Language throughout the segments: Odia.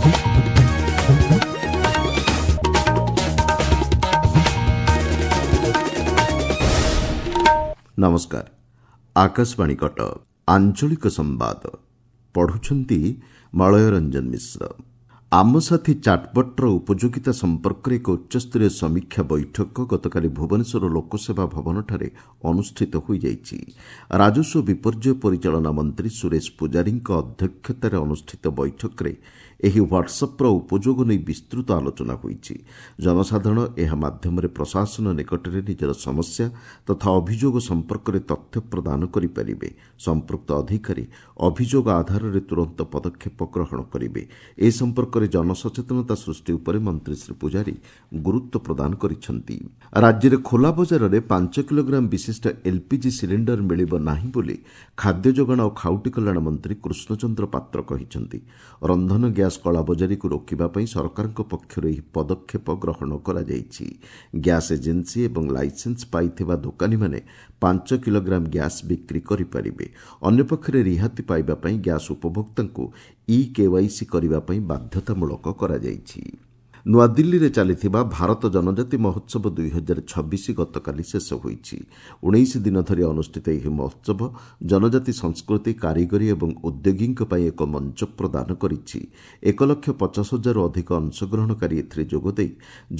ନମସ୍କାର, ଆକାଶବାଣୀ କଟକ, ଆଞ୍ଚଳିକ ସମ୍ବାଦ ପଢୁଛନ୍ତି ମଳୟ ରଞ୍ଜନ ମିଶ୍ର। ଆମ ସାଥୀ ଚାଟ୍ବଟ୍ର ଉପଯୋଗିତା ସମ୍ପର୍କରେ ଏକ ଉଚ୍ଚସ୍ତରୀୟ ସମୀକ୍ଷା ବୈଠକ ଗତକାଲି ଭୁବନେଶ୍ୱର ଲୋକସେବା ଭବନଠାରେ ଅନୁଷ୍ଠିତ ହୋଇଯାଇଛି। ରାଜସ୍ୱ ବିପର୍ଯ୍ୟୟ ପରିଚାଳନା ମନ୍ତ୍ରୀ ସୁରେଶ ପୂଜାରୀଙ୍କ ଅଧ୍ୟକ୍ଷତାରେ ଅନୁଷ୍ଠିତ ବୈଠକରେ ଏହି ହ୍ୱାଟ୍ସଆପ୍ର ଉପଯୋଗ ନେଇ ବିସ୍ତୃତ ଆଲୋଚନା ହୋଇଛି। ଜନସାଧାରଣ ଏହା ମାଧ୍ୟମରେ ପ୍ରଶାସନ ନିକଟରେ ନିଜର ସମସ୍ୟା ତଥା ଅଭିଯୋଗ ସମ୍ପର୍କରେ ତଥ୍ୟ ପ୍ରଦାନ କରିପାରିବେ। ସମ୍ପୃକ୍ତ ଅଧିକାରୀ ଅଭିଯୋଗ ଆଧାରରେ ତୁରନ୍ତ ପଦକ୍ଷେପ ଗ୍ରହଣ କରିବେ। ଏ ସମ୍ପର୍କରେ ଜନସଚେତନତା ସୃଷ୍ଟି ଉପରେ ମନ୍ତ୍ରୀ ଶ୍ରୀ ପୂଜାରୀ ଗୁରୁତ୍ୱ ପ୍ରଦାନ କରିଛନ୍ତି। ରାଜ୍ୟରେ ଖୋଲା ବଜାରରେ 5 କିଲୋଗ୍ରାମ ବିଶିଷ୍ଟ ଏଲ୍ପିଜି ସିଲିଣ୍ଡର ମିଳିବ ନାହିଁ ବୋଲି ଖାଦ୍ୟ ଯୋଗାଣ ଓ ଖାଉଟି କଲ୍ୟାଣ ମନ୍ତ୍ରୀ କୃଷ୍ଣଚନ୍ଦ୍ର ପାତ୍ର କହିଛନ୍ତି। ରନ୍ଧନ ଗ୍ୟାସ୍ କଳାବଜାରୀକୁ ରୋକିବା ପାଇଁ ସରକାରଙ୍କ ପକ୍ଷରୁ ଏହି ପଦକ୍ଷେପ ଗ୍ରହଣ କରାଯାଇଛି। ଗ୍ୟାସ୍ ଏଜେନ୍ସି ଏବଂ ଲାଇସେନ୍ସ ପାଇଥିବା ଦୋକାନୀମାନେ 5 କିଲୋଗ୍ରାମ ଗ୍ୟାସ୍ ବିକ୍ରି କରିପାରିବେ। ଅନ୍ୟପକ୍ଷରେ ରିହାତି ପାଇବା ପାଇଁ ଗ୍ୟାସ୍ ଉପଭୋକ୍ତାଙ୍କୁ ଇ କେୱାଇସି କରିବା ପାଇଁ ବାଧ୍ୟତାମୂଳକ କରାଯାଇଛି। ନୂଆଦିଲ୍ଲୀରେ ଚାଲିଥିବା ଭାରତ ଜନଜାତି ମହୋତ୍ସବ 2026 ଗତକାଲି ଶେଷ ହୋଇଛି। 19 ଦିନ ଧରି ଅନୁଷ୍ଠିତ ଏହି ମହୋତ୍ସବ ଜନଜାତି ସଂସ୍କୃତି, କାରିଗରୀ ଏବଂ ଉଦ୍ୟୋଗୀଙ୍କ ପାଇଁ ଏକ ମଞ୍ଚ ପ୍ରଦାନ କରିଛି। 1,50,000ରୁ ଅଧିକ ଅଂଶଗ୍ରହଣକାରୀ ଏଥିରେ ଯୋଗଦେଇ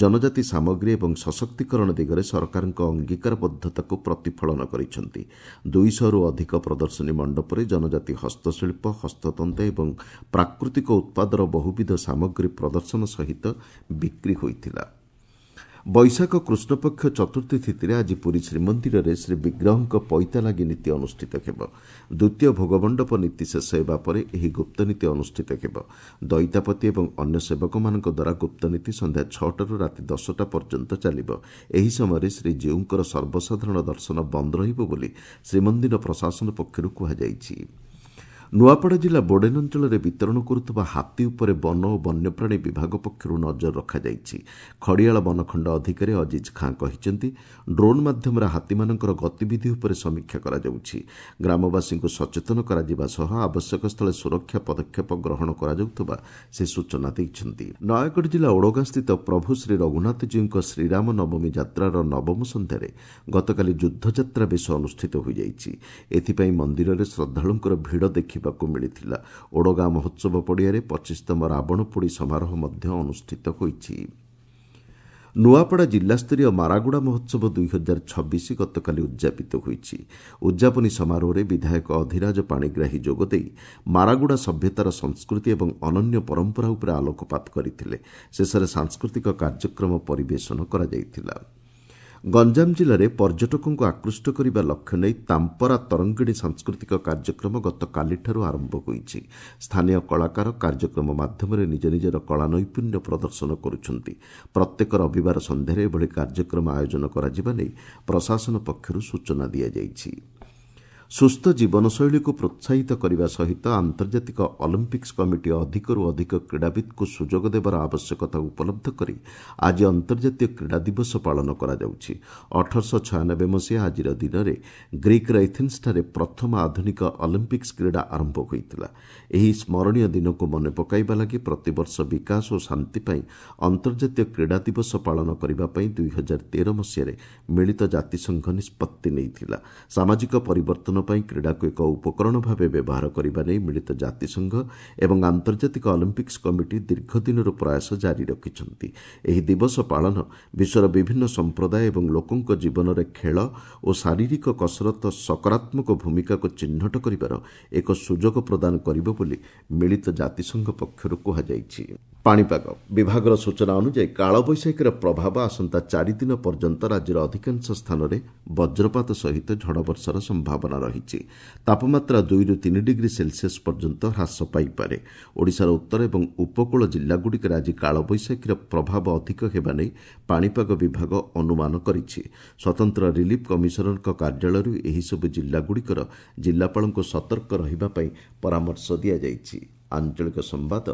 ଜନଜାତି ସାମଗ୍ରୀ ଏବଂ ସଶକ୍ତିକରଣ ଦିଗରେ ସରକାରଙ୍କ ଅଙ୍ଗୀକାରବଦ୍ଧତାକୁ ପ୍ରତିଫଳନ କରିଛନ୍ତି। 200ରୁ ଅଧିକ ପ୍ରଦର୍ଶନୀ ମଣ୍ଡପରେ ଜନଜାତି ହସ୍ତଶିଳ୍ପ, ହସ୍ତତନ୍ତ ଏବଂ ପ୍ରାକୃତିକ ଉତ୍ପାଦର ବହୁବିଧ ସାମଗ୍ରୀ ପ୍ରଦର୍ଶନ ସହିତ ବିକ୍ରି ହୋଇଥିଲା। ବୈଶାଖ କୃଷ୍ଣପକ୍ଷ ଚତୁର୍ଥୀ ତିଥିରେ ଆଜି ପୁରୀ ଶ୍ରୀମନ୍ଦିରରେ ଶ୍ରୀବିଗ୍ରହଙ୍କ ପଇତାଲାଗି ନୀତି ଅନୁଷ୍ଠିତ ହେବ। ଦ୍ୱିତୀୟ ଭୋଗମଣ୍ଡପ ନୀତି ଶେଷ ହେବା ପରେ ଏହି ଗୁପ୍ତନୀତି ଅନୁଷ୍ଠିତ ହେବ। ଦଇତାପତି ଏବଂ ଅନ୍ୟ ସେବକମାନଙ୍କ ଦ୍ୱାରା ଗୁପ୍ତନୀତି ସନ୍ଧ୍ୟା 6ଟାରୁ ରାତି 10ଟା ପର୍ଯ୍ୟନ୍ତ ଚାଲିବ। ଏହି ସମୟରେ ଶ୍ରୀଜୀଉଙ୍କର ସର୍ବସାଧାରଣ ଦର୍ଶନ ବନ୍ଦ ରହିବ ବୋଲି ଶ୍ରୀମନ୍ଦିର ପ୍ରଶାସନ ପକ୍ଷରୁ କୁହାଯାଇଛି। ନୂଆପଡ଼ା ଜିଲ୍ଲା ବୋଡେନ୍ ଅଞ୍ଚଳରେ ବିତରଣ କରୁଥିବା ହାତୀ ଉପରେ ବନ ଓ ବନ୍ୟପ୍ରାଣୀ ବିଭାଗ ପକ୍ଷରୁ ନଜର ରଖାଯାଇଛି। ଖଡ଼ିଆଳ ବନଖଣ୍ଡ ଅଧିକାରୀ ଅଜିଜ୍ ଖାଁ କହିଛନ୍ତି, ଡ୍ରୋନ୍ ମାଧ୍ୟମରେ ହାତୀମାନଙ୍କର ଗତିବିଧି ଉପରେ ସମୀକ୍ଷା କରାଯାଉଛି। ଗ୍ରାମବାସୀଙ୍କୁ ସଚେତନ କରାଯିବା ସହ ଆବଶ୍ୟକ ସ୍ଥଳେ ସୁରକ୍ଷା ପଦକ୍ଷେପ ଗ୍ରହଣ କରାଯାଉଥିବା ସେ ସୂଚନା ଦେଇଛନ୍ତି। ନୟାଗଡ଼ ଜିଲ୍ଲା ଓଡ଼ଗାଁସ୍ଥିତ ପ୍ରଭୁ ଶ୍ରୀ ରଘୁନାଥଜୀଉଙ୍କ ଶ୍ରୀରାମ ନବମୀ ଯାତ୍ରାର ନବମ ସନ୍ଧ୍ୟାରେ ଗତକାଲି ଯୁଦ୍ଧଯାତ୍ରା ବେଶ ଅନୁଷ୍ଠିତ ହୋଇଯାଇଛି। ଏଥିପାଇଁ ମନ୍ଦିରରେ ଶ୍ରଦ୍ଧାଳୁଙ୍କର ଭିଡ଼ ଦେଖିବାକୁ ମିଳିଥିଲା। ଓଡ଼ଗାଁ ମହୋତ୍ସବ ପଡ଼ିଆରେ 25ତମ ରାବଣ ପୋଡ଼ି ସମାରୋହ ମଧ୍ୟ ଅନୁଷ୍ଠିତ ହୋଇଛି। ନୂଆପଡ଼ା ଜିଲ୍ଲାସ୍ତରୀୟ ମାରାଗୁଡ଼ା ମହୋତ୍ସବ 2026 ଗତକାଲି ଉଦ୍ଯାପିତ ହୋଇଛି। ଉଦ୍ଯାପନୀ ସମାରୋହରେ ବିଧାୟକ ଅଧିରାଜ ପାଣିଗ୍ରାହୀ ଯୋଗଦେଇ ମାରାଗୁଡ଼ା ସଭ୍ୟତାର ସଂସ୍କୃତି ଏବଂ ଅନନ୍ୟ ପରମ୍ପରା ଉପରେ ଆଲୋକପାତ କରିଥିଲେ। ଶେଷରେ ସାଂସ୍କୃତିକ କାର୍ଯ୍ୟକ୍ରମ ପରିବେଷଣ କରାଯାଇଥିଲା। ଗଞ୍ଜାମ ଜିଲ୍ଲାରେ ପର୍ଯ୍ୟଟକଙ୍କୁ ଆକୃଷ୍ଟ କରିବା ଲକ୍ଷ୍ୟ ନେଇ ତାମ୍ପରା ତରଙ୍ଗିଣୀ ସାଂସ୍କୃତିକ କାର୍ଯ୍ୟକ୍ରମ ଗତକାଲିଠାରୁ ଆରମ୍ଭ ହୋଇଛି। ସ୍ଥାନୀୟ କଳାକାର କାର୍ଯ୍ୟକ୍ରମ ମାଧ୍ୟମରେ ନିଜ ନିଜର କଳା ନୈପୁଣ୍ୟ ପ୍ରଦର୍ଶନ କରୁଛନ୍ତି। ପ୍ରତ୍ୟେକ ରବିବାର ସନ୍ଧ୍ୟାରେ ଏଭଳି କାର୍ଯ୍ୟକ୍ରମ ଆୟୋଜନ କରାଯିବା ନେଇ ପ୍ରଶାସନ ପକ୍ଷରୁ ସୂଚନା ଦିଆଯାଇଛି। ସୁସ୍ଥ ଜୀବନଶୈଳୀକୁ ପ୍ରୋତ୍ସାହିତ କରିବା ସହିତ ଆନ୍ତର୍ଜାତିକ ଅଲିମ୍ପିକ୍ସ କମିଟି ଅଧିକରୁ ଅଧିକ କ୍ରୀଡ଼ାବିତ୍ଙ୍କୁ ସୁଯୋଗ ଦେବାର ଆବଶ୍ୟକତା ଉପଲବ୍ଧ କରି ଆଜି ଅନ୍ତର୍ଜାତୀୟ କ୍ରୀଡ଼ା ଦିବସ ପାଳନ କରାଯାଉଛି। 1896 ମସିହା ଆଜିର ଦିନରେ ଗ୍ରୀକ୍ର ଏଥେନ୍ସଠାରେ ପ୍ରଥମ ଆଧୁନିକ ଅଲିମ୍ପିକ୍ସ କ୍ରୀଡ଼ା ଆରମ୍ଭ ହୋଇଥିଲା। ଏହି ସ୍ମରଣୀୟ ଦିନକୁ ମନେ ପକାଇବା ଲାଗି ପ୍ରତିବର୍ଷ ବିକାଶ ଓ ଶାନ୍ତି ପାଇଁ ଅନ୍ତର୍ଜାତୀୟ କ୍ରୀଡ଼ା ଦିବସ ପାଳନ କରିବା ପାଇଁ 2013 ମସିହାରେ ମିଳିତ ଜାତିସଂଘ ନିଷ୍ପତ୍ତି ନେଇଥିଲା। ସାମାଜିକ ପରିବର୍ତ୍ତନ ପାଇଁ କ୍ରୀଡ଼ାକୁ ଏକ ଉପକରଣ ଭାବେ ବ୍ୟବହାର କରିବା ନେଇ ମିଳିତ ଜାତିସଂଘ ଏବଂ ଆନ୍ତର୍ଜାତିକ ଅଲିମ୍ପିକ୍ସ କମିଟି ଦୀର୍ଘଦିନରୁ ପ୍ରୟାସ ଜାରି ରଖିଛନ୍ତି। ଏହି ଦିବସ ପାଳନ ବିଶ୍ୱର ବିଭିନ୍ନ ସମ୍ପ୍ରଦାୟ ଏବଂ ଲୋକଙ୍କ ଜୀବନରେ ଖେଳ ଓ ଶାରୀରିକ କସରତ ସକାରାତ୍ମକ ଭୂମିକାକୁ ଚିହ୍ନଟ କରିବାର ଏକ ସୁଯୋଗ ପ୍ରଦାନ କରିବ ବୋଲି ମିଳିତ ଜାତିସଂଘ ପକ୍ଷରୁ କୁହାଯାଇଛି। ପାଣିପାଗ ବିଭାଗର ସୂଚନା ଅନୁଯାୟୀ କାଳବୈଶାଖୀର ପ୍ରଭାବ ଆସନ୍ତା 4 ଦିନ ପର୍ଯ୍ୟନ୍ତ ରାଜ୍ୟର ଅଧିକାଂଶ ସ୍ଥାନରେ ବଜ୍ରପାତ ସହିତ ଝଡ଼ବର୍ଷାର ସମ୍ଭାବନା ରହିଛି। ତାପମାତ୍ରା 2ରୁ 3 ଡିଗ୍ରୀ ସେଲସିୟସ୍ ପର୍ଯ୍ୟନ୍ତ ହ୍ରାସ ପାଇପାରେ। ଓଡ଼ିଶାର ଉତ୍ତର ଏବଂ ଉପକୂଳ ଜିଲ୍ଲାଗୁଡ଼ିକରେ ଆଜି କାଳବୈଶାଖୀର ପ୍ରଭାବ ଅଧିକ ହେବା ନେଇ ପାଣିପାଗ ବିଭାଗ ଅନୁମାନ କରିଛି। ସ୍ୱତନ୍ତ୍ର ରିଲିଫ୍ କମିଶନରଙ୍କ କାର୍ଯ୍ୟାଳୟରୁ ଏହିସବୁ ଜିଲ୍ଲାଗୁଡ଼ିକର ଜିଲ୍ଲାପାଳଙ୍କୁ ସତର୍କ ରହିବା ପାଇଁ ପରାମର୍ଶ ଦିଆଯାଇଛି। ଆଞ୍ଚଳିକ ସମ୍ବାଦ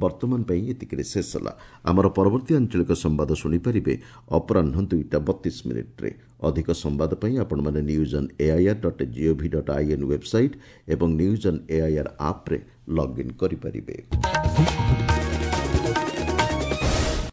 ବର୍ତ୍ତମାନ ପାଇଁ ଏତିକିରେ ଶେଷ ହେଲା। ଆମର ପରବର୍ତ୍ତୀ ଆଞ୍ଚଳିକ ସମ୍ବାଦ ଶୁଣିପାରିବେ ଅପରାହ୍ନ 2ଟା 32 ମିନିଟ୍ରେ। ଅଧିକ ସମ୍ବାଦ ପାଇଁ ଆପଣମାନେ newsonair.gov.in website ଏବଂ ନ୍ୟୁଜ୍ ଅନ୍ ଏଆଇଆର୍ ଆପ୍ରେ ଲଗ୍ଇନ୍ କରିପାରିବେ।